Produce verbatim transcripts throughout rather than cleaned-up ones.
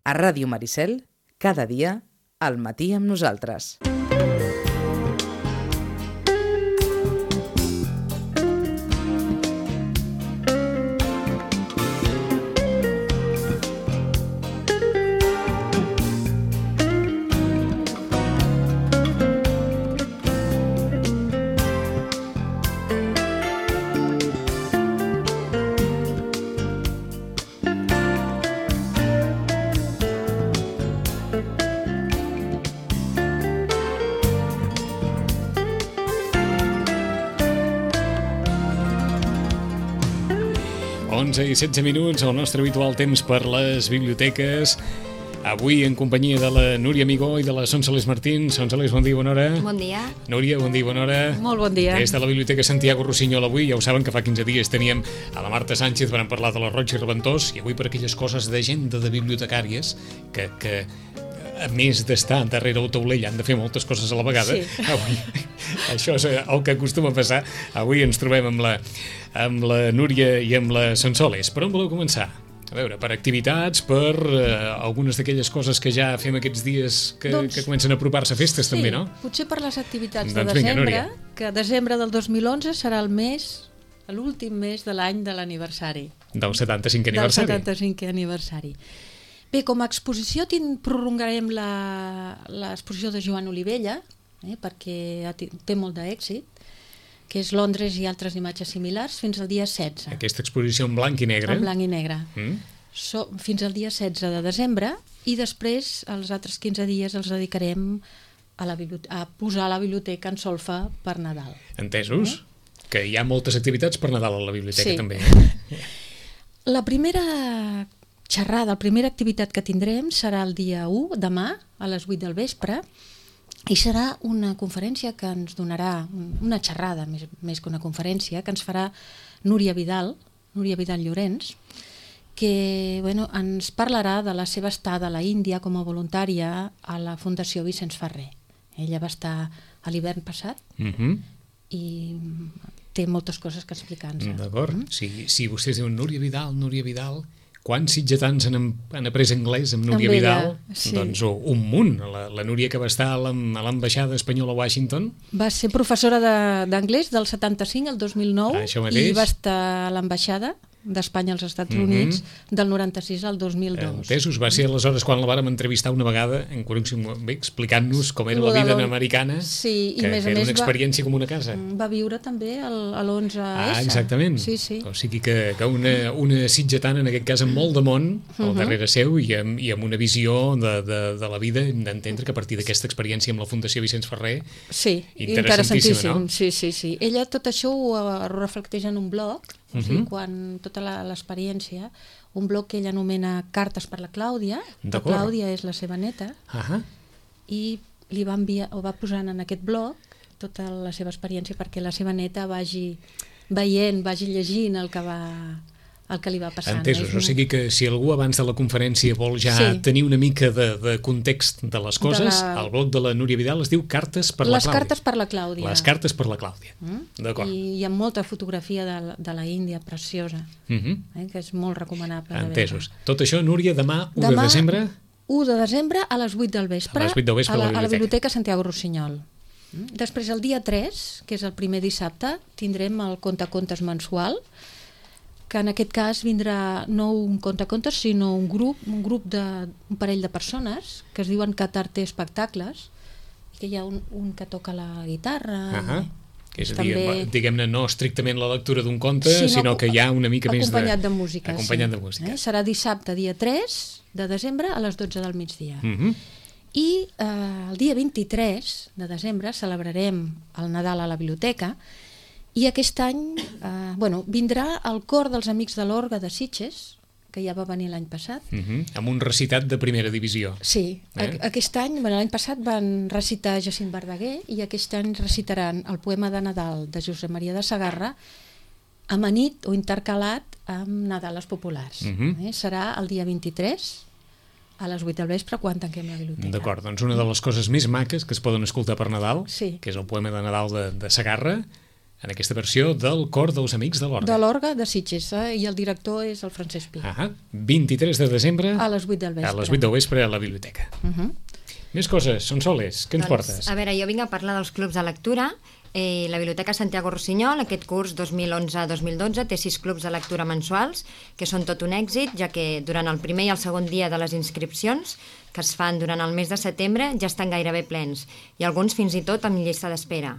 A Ràdio Maricel, cada dia, al matí amb nosaltres. onze i setze minuts, el nostre habitual temps per les biblioteques. Avui en companyia de la Núria Amigó i de la Sonsoles Martín. Sonsoles, bon dia, bona hora. Bon dia. Núria, bon dia, bona hora. Molt bon dia. Des de la Biblioteca Santiago Rossinyol avui, ja ho saben que fa quinze dies teníem a la Marta Sánchez, vam parlar de la Roig i Reventós, i avui per aquelles coses d'agenda de bibliotecàries que, que a més d'estar darrere el taulell han de fer moltes coses a la vegada. Sí. Avui, això és el que acostuma a passar. Avui ens trobem amb la, amb la Núria i amb la Sonsoles. Per on voleu començar? A veure, per activitats, per eh, algunes d'aquelles coses que ja fem aquests dies que, doncs, que comencen a apropar-se a festes, sí, també, no? Potser per les activitats doncs de desembre, vinga, que desembre del dos mil onze serà el mes, l'últim mes de l'any de l'aniversari. Del setanta-cinquè aniversari. Del setanta-cinquè aniversari. Bé, com a exposició tin, prolongarem l'exposició de Joan Olivella, eh, perquè té molt d'èxit, que és Londres i altres imatges similars, fins al dia setze. Aquesta exposició en blanc i negre. En blanc i negre. Mm. So, fins al dia setze de desembre, i després, els altres quinze dies, els dedicarem a, la a posar la biblioteca en solfa per Nadal. Entesos? Mm. Que hi ha moltes activitats per Nadal a la biblioteca, sí. també. La primera xerrada, la primera activitat que tindrem serà el dia u, demà, a les vuit del vespre, i serà una conferència que ens donarà, una xerrada, més, més que una conferència, que ens farà Núria Vidal, Núria Vidal Llorenç, que bueno, ens parlarà de la seva estada a la Índia com a voluntària a la Fundació Vicenç Ferrer. Ella va estar a l'hivern passat mm-hmm. i té moltes coses que explicar-nos. D'acord. Mm? Si, si vostès diuen Núria Vidal, Núria Vidal... Quants sitgetans han, han après anglès amb Núria amb ella, Vidal? Sí. Doncs un munt. La, la Núria que va estar a l'ambaixada espanyola a Washington. Va ser professora d'anglès del setanta-cinc al dos mil nou ah, i va estar a l'ambaixada d'Espanya als Estats mm-hmm. Units del noranta-sis al dos mil dos. Entesos, va ser aleshores quan la vàrem entrevistar una vegada en bé, explicant-nos com era la vida americana, sí, que, i més que a era més una experiència va, com una casa. Va viure també el, a l'onze essa. Ah, exactament. Sí, sí. O sigui que, que una, una sitgetana, en aquest cas amb molt de món, al uh-huh. darrere seu i amb, i amb una visió de, de, de la vida, hem d'entendre que a partir d'aquesta experiència amb la Fundació Vicenç Ferrer, sí, interessantíssima, no? Sí, sí, sí. Ella tot això ho reflecteix en un blog, o sigui, uh-huh. quan tota l'experiència, un blog que ella anomena Cartes per la Clàudia, la Clàudia és la seva neta, uh-huh. i li va enviar, o va posant en aquest blog tota la seva experiència perquè la seva neta vagi veient, vagi llegint el que va... el que li va passant. Entesos, o sigui que si algú abans de la conferència vol ja sí. tenir una mica de, de context de les coses, de la... el blog de la Núria Vidal es diu Cartes per les la Clàudia. Cartes per la Clàudia. Les Cartes per la Clàudia. Mm? D'acord. I hi ha molta fotografia de, de la Índia preciosa, mm-hmm. eh, que és molt recomanable. Entesos. Tot això, Núria, demà, u de desembre? u de desembre a les vuit del vespre, a, les vuit del vespre a, la, a, la a la Biblioteca Santiago Rossinyol. Mm? Després, el dia tres, que és el primer dissabte, tindrem el conte-contes mensual, que en aquest cas vindrà no un conte-contes, sinó un grup, un grup de, un parell de persones que es diuen Catarte Espectacles, que hi ha un, un que toca la guitarra. Uh-huh. Que és a dir, també... diguem-ne, no estrictament la lectura d'un conte, sinó, sinó que hi ha una mica més de... Acompanyat de música. Acompanyat sí. de música. Eh? Serà dissabte, dia tres de desembre, a les dotze del migdia. Uh-huh. I eh, el dia vint-i-tres de desembre celebrarem el Nadal a la biblioteca. I aquest any eh, bueno, vindrà el cor dels Amics de l'Orgue de Sitges, que ja va venir l'any passat. Uh-huh. Amb un recitat de primera divisió. Sí, eh? aquest any, bueno, l'any passat van recitar Jacint Verdaguer i aquest any recitaran el poema de Nadal de Josep Maria de Sagarra amanit o intercalat amb Nadales populars. Uh-huh. eh? Serà el dia vint-i-tres a les vuit del vespre quan tanquem la biblioteca. D'acord, doncs una de les coses més maques que es poden escoltar per Nadal, sí. que és el poema de Nadal de, de Sagarra, en aquesta versió del Cor dels Amics de l'Orga. De l'Orga de Sitges, eh? I el director és el Francesc Pi. Ah, vint-i-tres de desembre A les vuit del vespre. a les vuit del vespre a la biblioteca. Uh -huh. Més coses, Sonsoles, què ens Doncs, portes? a veure, jo vinc a parlar dels clubs de lectura. Eh, la Biblioteca Santiago Rossinyol, aquest curs dos mil onze dos mil dotze, té sis clubs de lectura mensuals, que són tot un èxit, ja que durant el primer i el segon dia de les inscripcions, que es fan durant el mes de setembre, ja estan gairebé plens, i alguns fins i tot amb llista d'espera.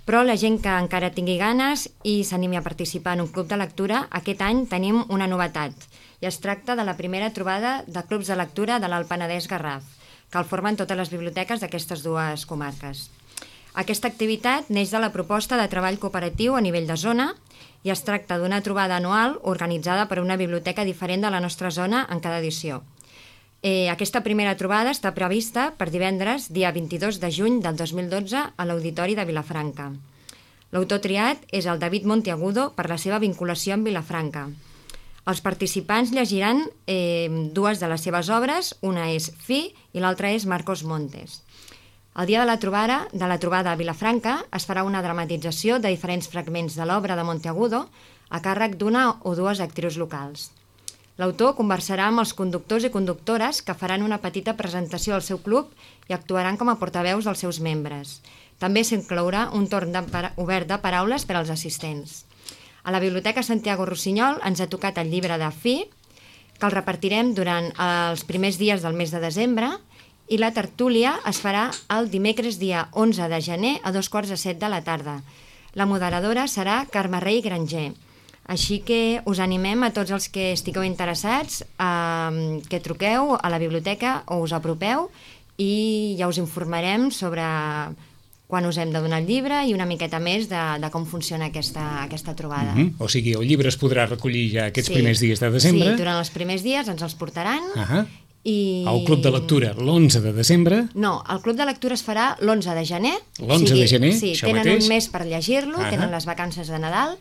Però la gent que encara tingui ganes i s'animi a participar en un club de lectura, aquest any tenim una novetat, i es tracta de la primera trobada de clubs de lectura de l'Alt Penedès-Garraf, que el formen totes les biblioteques d'aquestes dues comarques. Aquesta activitat neix de la proposta de treball cooperatiu a nivell de zona i es tracta d'una trobada anual organitzada per una biblioteca diferent de la nostra zona en cada edició. Eh, aquesta primera trobada està prevista per divendres, dia vint-i-dos de juny del dos mil dotze, a l'Auditori de Vilafranca. L'autor triat és el David Monteagudo per la seva vinculació amb Vilafranca. Els participants llegiran eh, dues de les seves obres, una és Fi i l'altra és Marcos Montes. El dia de la trobada, de la trobada a Vilafranca es farà una dramatització de diferents fragments de l'obra de Monteagudo a càrrec d'una o dues actrius locals. L'autor conversarà amb els conductors i conductores que faran una petita presentació al seu club i actuaran com a portaveus dels seus membres. També s'inclourà un torn de para- obert de paraules per als assistents. A la Biblioteca Santiago Rossinyol ens ha tocat el llibre de Fi, que el repartirem durant els primers dies del mes de desembre, i la tertúlia es farà el dimecres dia onze de gener a dos quarts de set de la tarda. La moderadora serà Carme Rey Granger. Així que us animem a tots els que estigueu interessats eh, que truqueu a la biblioteca o us apropeu i ja us informarem sobre quan us hem de donar el llibre i una miqueta més de, de com funciona aquesta, aquesta trobada. Mm -hmm. O sigui, el llibre es podrà recollir ja aquests Sí. primers dies de desembre. Sí, durant els primers dies ens els portaran. Ah I... El Club de Lectura l'onze de desembre. No, el Club de Lectura es farà l'onze de gener. L'onze de gener, sí, això tenen mateix. un mes per llegir-lo, Ah. tenen les vacances de Nadal.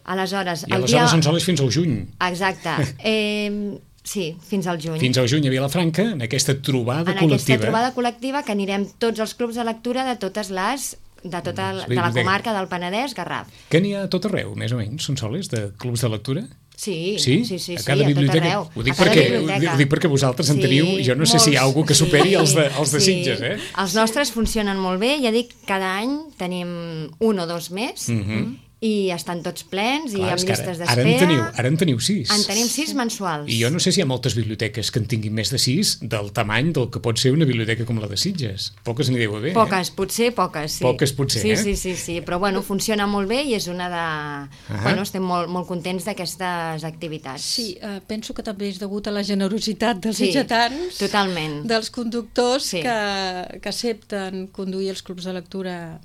Aleshores, I el aleshores dia... són soles fins al juny. Exacte. Eh, sí, fins al juny. Fins al juny a Vilafranca, en aquesta trobada en col·lectiva. aquesta trobada col·lectiva que anirem tots els clubs de lectura de totes les de tota Les de la biblioteques. comarca del Penedès, Garraf. Que n'hi ha a tot arreu, més o menys, són soles de clubs de lectura? Sí, Sí? sí, sí, A sí, cada a tot biblioteca. arreu. Ho dic, A cada perquè, ho, biblioteca. dic, ho dic perquè vosaltres en teniu, jo no sé si hi ha algú que superi els de, els de Sitges, eh? Els nostres funcionen molt bé, ja dic, cada any tenim un o dos més, Mhm. i estan tots plens i Clar, amb és que llistes ara, ara, en d'espera. teniu, ara en teniu sis. En tenim sis mensuals. I jo no sé si hi ha moltes biblioteques que en tinguin més de sis del tamany del que pot ser una biblioteca com la de Sitges. Poques n'hi deu haver, Poques, potser poques, sí. Poques, potser, sí, eh? Sí, sí, sí, però bueno, funciona molt bé i és una de... Ahà. Bueno, estem molt, molt contents d'aquestes activitats. Sí, eh, penso que també és degut a la generositat dels Sí, sitgetans, totalment. dels conductors Sí. que, que accepten conduir els clubs de lectura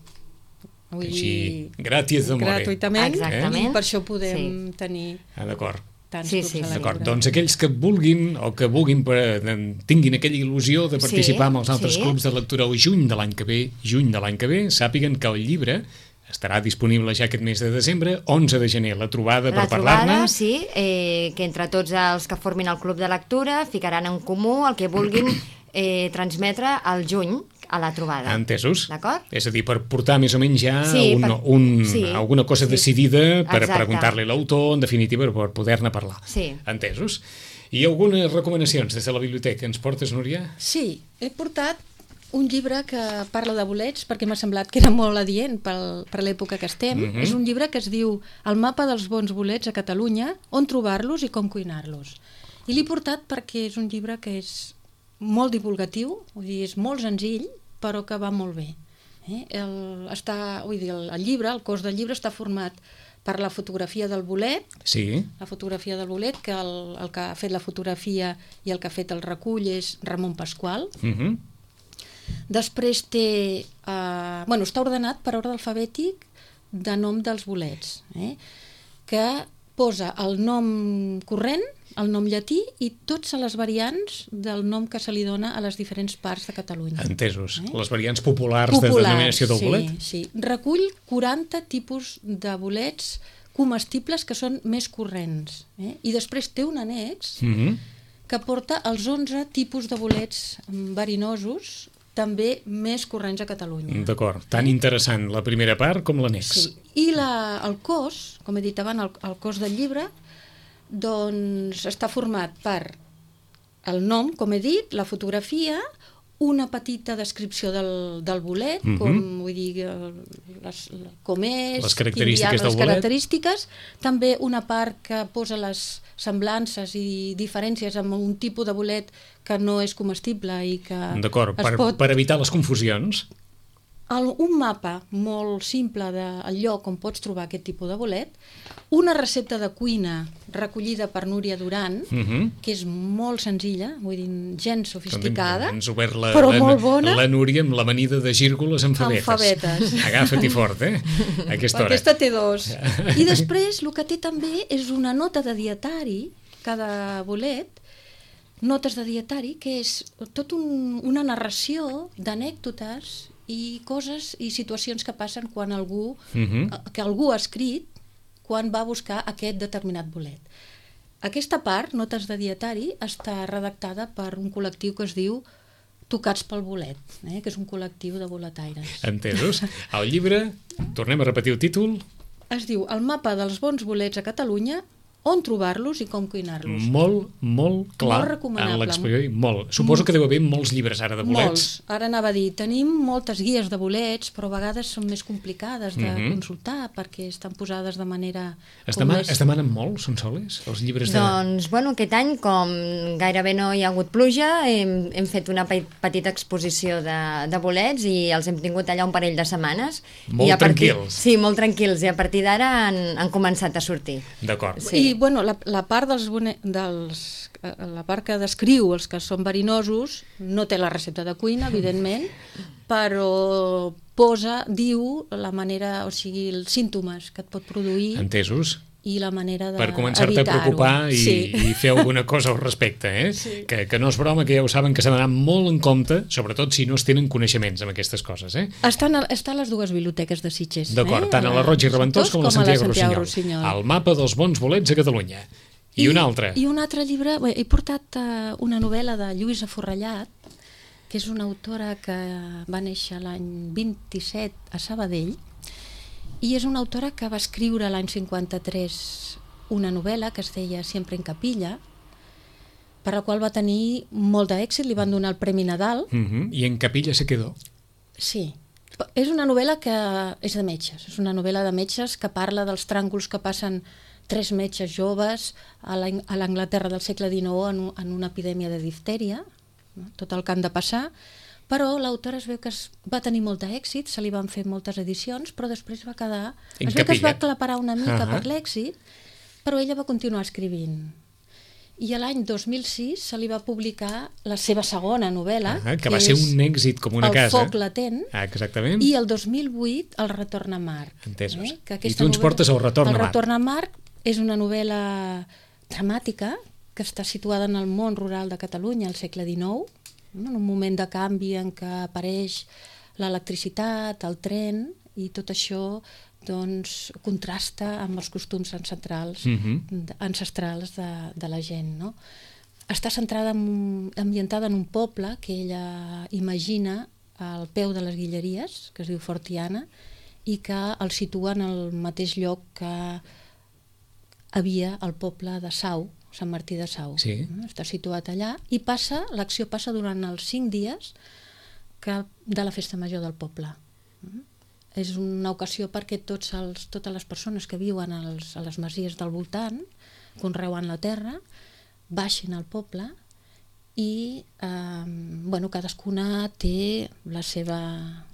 vull Així, dir, gratis d'amore. gratuïtament, Exactament. i per això podem tenir Ah, d'acord. tants Sí, clubs sí, de sí. D'acord, lectura. doncs aquells que vulguin o que vulguin per, tinguin aquella il·lusió de participar Sí, amb els altres sí. clubs de lectura el juny de l'any que ve, juny de l'any que ve, sàpiguen que el llibre estarà disponible ja aquest mes de desembre, onze de gener, la trobada La per parlar-ne. trobada, sí, eh, que entre tots els que formin el club de lectura ficaran en comú el que vulguin eh, transmetre al juny a la trobada. Entesos? D'acord? És a dir, per portar més o menys ja Sí, un, per- un, sí, alguna cosa sí. decidida per Exacte. preguntar-li a l'autor, en definitiva, per poder-ne parlar. Sí. Entesos? I algunes recomanacions des de la biblioteca ens portes, Núria? Sí, he portat un llibre que parla de bolets perquè m'ha semblat que era molt adient pel, per l'època que estem. Mhm. És un llibre que es diu El mapa dels bons bolets a Catalunya, on trobar-los i com cuinar-los. I l'he portat perquè és un llibre que és molt divulgatiu, vull dir, és molt senzill, però que va molt bé. Eh? El, està, vull dir, el, el llibre, el cos del llibre està format per la fotografia del bolet, Sí. la fotografia del bolet, que el, el que ha fet la fotografia i el que ha fet el recull és Ramon Pasqual. Mhm. Després té... Eh, bueno, està ordenat per ordre alfabètic de nom dels bolets, eh? que posa el nom corrent, el nom llatí i totes les variants del nom que se li dona a les diferents parts de Catalunya. Entesos. Eh? Les variants populars, de denominació del sí, bolet. Sí. Recull quaranta tipus de bolets comestibles que són més corrents. Eh? I després té un annex Mhm. que porta els onze tipus de bolets verinosos també més corrents a Catalunya. D'acord, tan interessant la primera part com l'annex. Sí. I la, el cos, com he dit abans, el, el cos del llibre, doncs està format per el nom, com he dit, la fotografia, una petita descripció del, del bolet, Mhm. com vull dir, les, com és, Les característiques quin hi ha, del les bolet. característiques, també una part que posa les semblances i diferències amb un tipus de bolet que no és comestible i que D'acord, es per, pot... per evitar les confusions. El, un mapa molt simple del lloc on pots trobar aquest tipus de bolet, una recepta de cuina recollida per Núria Duran, Mhm. que és molt senzilla, vull dir, gens sofisticada, Ens ha obert la, però la, molt bona. la Núria amb l'amanida de gírgoles amb favetes. Amb favetes. Agafa't-hi fort, eh? A aquesta hora. Aquesta té dos. I després el que té també és una nota de dietari, cada bolet, notes de dietari, que és tot un, una narració d'anècdotes i coses i situacions que passen quan algú, Mhm. que algú ha escrit quan va buscar aquest determinat bolet. Aquesta part, notes de dietari, està redactada per un col·lectiu que es diu Tocats pel bolet, eh? que és un col·lectiu de boletaires. Entesos? El llibre, tornem a repetir el títol, Es diu El mapa dels bons bolets a Catalunya, on trobar-los i com cuinar-los. molt, molt clar Molt recomanable. en l'exposició. Molt. Suposo que deu haver molts llibres ara de bolets. Molts. Ara anava a dir, tenim moltes guies de bolets, però a vegades són més complicades de Mhm. consultar perquè estan posades de manera... Es, com demana, més- es demanen molt, són soles, els llibres de... Doncs, bueno, aquest any, com gairebé no hi ha hagut pluja, hem, hem fet una pe- petita exposició de, de bolets i els hem tingut allà un parell de setmanes. Molt I a partir, tranquils. Sí, molt tranquils, i a partir d'ara han, han començat a sortir. D'acord. Sí. I, bueno, la, la part dels, bone... dels eh, la part que descriu els que són verinosos no té la recepta de cuina, evidentment, però posa, diu la manera, o sigui, els símptomes que et pot produir Entesos? i la manera Per començar-te a d'evitar-ho. preocupar i, Sí. i fer alguna cosa al respecte, eh? Sí. Que, que no és broma, que ja ho saben, que s'ha d'anar molt en compte, sobretot si no es tenen coneixements amb aquestes coses, eh? Estan a, està a les dues biblioteques de Sitges. D'acord, eh? tant a la Roig i Reventós com a la Santiago, Rossinyol. Rossinyol. El mapa dels bons bolets a Catalunya. I, I un altre. I un altre llibre, bé, he portat uh, una novel·la de Lluïsa Forrellat, que és una autora que va néixer l'any vint-i-set a Sabadell, i és una autora que va escriure l'any cinquanta-tres una novel·la que es deia Siempre en capilla, per la qual va tenir molt d'èxit, li van donar el Premi Nadal. Uh -huh. I en Capilla se quedó. Sí, és una novel·la que és de metges, és una novel·la de metges que parla dels tràngols que passen tres metges joves a l'Ang- a l'Anglaterra del segle dinou en, un- en una epidèmia de diftèria, no? Tot el que han de passar, però l'autora es veu que es va tenir molt d'èxit, se li van fer moltes edicions, però després va quedar... En es veu que es va capilla. aclaparar una mica Ahà. per l'èxit, però ella va continuar escrivint. I a l'any dos mil sis se li va publicar la seva segona novel·la, Ah, que va ser és un èxit com una El casa. foc latent, Ah, exactament. i el dos mil vuit el Retorn a Mar. Entesos. Que I aquesta tu ens novel·la- portes el Retorn a Mar. El Retorn a Mar és una novel·la dramàtica que està situada en el món rural de Catalunya al segle dinou, no? En un moment de canvi en què apareix l'electricitat, el tren, i tot això doncs, contrasta amb els costums ancestrals, Mhm. de- ancestrals de, de la gent. No? Està centrada en, un- ambientada en un poble que ella imagina al peu de les Guilleries, que es diu Fortiana, i que el situa en el mateix lloc que havia el poble de Sau, Sant Martí de Sau. Sí. Està situat allà i passa, l'acció passa durant els cinc dies que, de la festa major del poble. Mm. És una ocasió perquè tots els, totes les persones que viuen als, a les masies del voltant, conreuen la terra, baixin al poble i eh, bueno, cadascuna té la seva,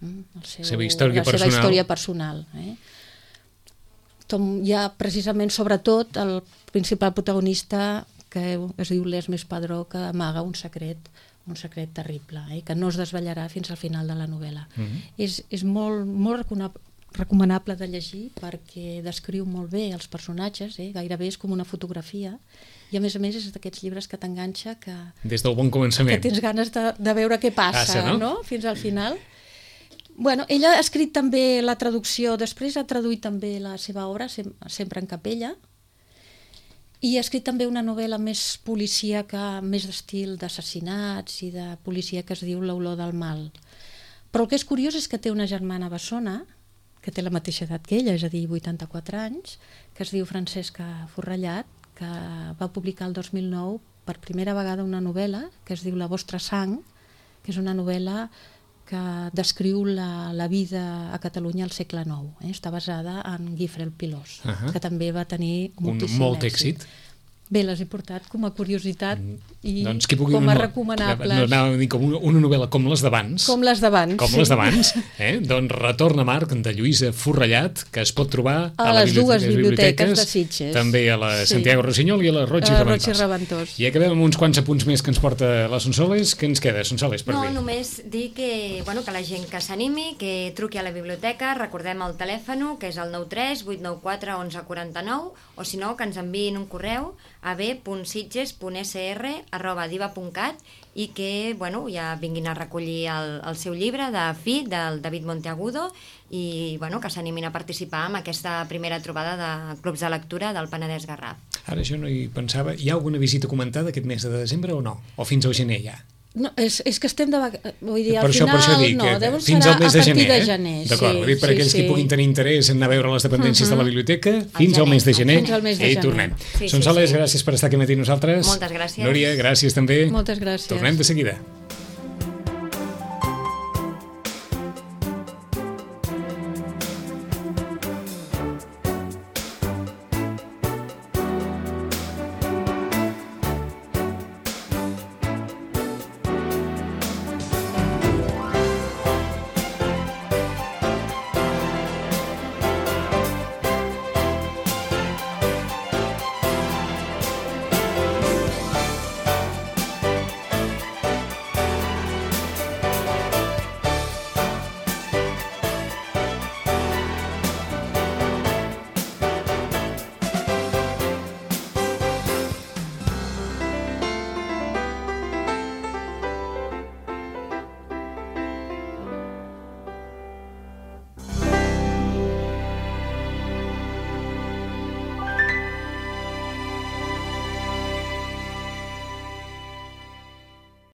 mm, el seu, Seva història la seva personal. història personal. Eh? Tom, hi ha precisament, sobretot, el principal protagonista que es diu l'Esmes Padró, que amaga un secret, un secret terrible, eh? que no es desvetllarà fins al final de la novel·la. Mhm. És, és molt, molt recona- recomanable de llegir perquè descriu molt bé els personatges, eh? Gairebé és com una fotografia, i a més a més és d'aquests llibres que t'enganxa, que, Des del bon que començament. tens ganes de, de veure què passa, Passa, no? no? Fins al final. Bueno, ella ha escrit també la traducció, després ha traduït també la seva obra, Sem- Sempre en capella, I ha escrit també una novel·la més policíaca, més d'estil d'assassinats i de policia, que es diu L'olor del mal. Però el que és curiós és que té una germana bessona, que té la mateixa edat que ella, és a dir, vuitanta-quatre anys, que es diu Francesca Forrellat, que va publicar el dos mil nou per primera vegada una novel·la que es diu La vostra sang, que és una novel·la que descriu la, la vida a Catalunya al segle nou. Eh? Està basada en Guifré el Pilós, uh -huh. que també va tenir moltíssim Un molt èxit. èxit. Bé, les he portat com a curiositat i doncs que pugui com a una, recomanables. No, anava a dir com una, una novel·la com les d'abans. Com les d'abans, Com sí. les d'abans. Eh? Doncs Retorn a Marc, de Lluïsa Forrellat, que es pot trobar a, a les dues biblioteques, biblioteques de Sitges. També a la Sí. Santiago Rossinyol i a la Roig i A la Reventós. Roig i Reventós. I acabem amb uns quants apunts més que ens porta la Sonsoles. Què ens queda, Sonsoles, per No, dir? només dir que, bueno, que la gent que s'animi, que truqui a la biblioteca, recordem el telèfon, que és el nou tres vuit nou quatre onze quaranta-nou, o si no, que ens enviïn un correu a b punt sitges punt s r arroba diva punt cat i que, bueno, ja vinguin a recollir el, el seu llibre de Fi, del David Monteagudo, i, bueno, que s'animin a participar en aquesta primera trobada de clubs de lectura del Penedès Garraf. Ara jo no hi pensava. Hi ha alguna visita comentada aquest mes de desembre o no? O fins al gener ja? No, és, és que estem de vaca... Vull dir, Per al això, final, per això dic, no, que deuen fins serà al mes a de partir gener, de eh? gener. D'acord, sí, per sí, aquells sí. que puguin tenir interès en anar a veure les dependències Uh-huh. de la biblioteca, fins al mes de gener, Fins al mes de i gener. tornem. Sí, sí, Sonsoles, sí. gràcies per estar aquí matí amb nosaltres. Moltes gràcies. Núria, gràcies també. Moltes gràcies. Tornem de seguida.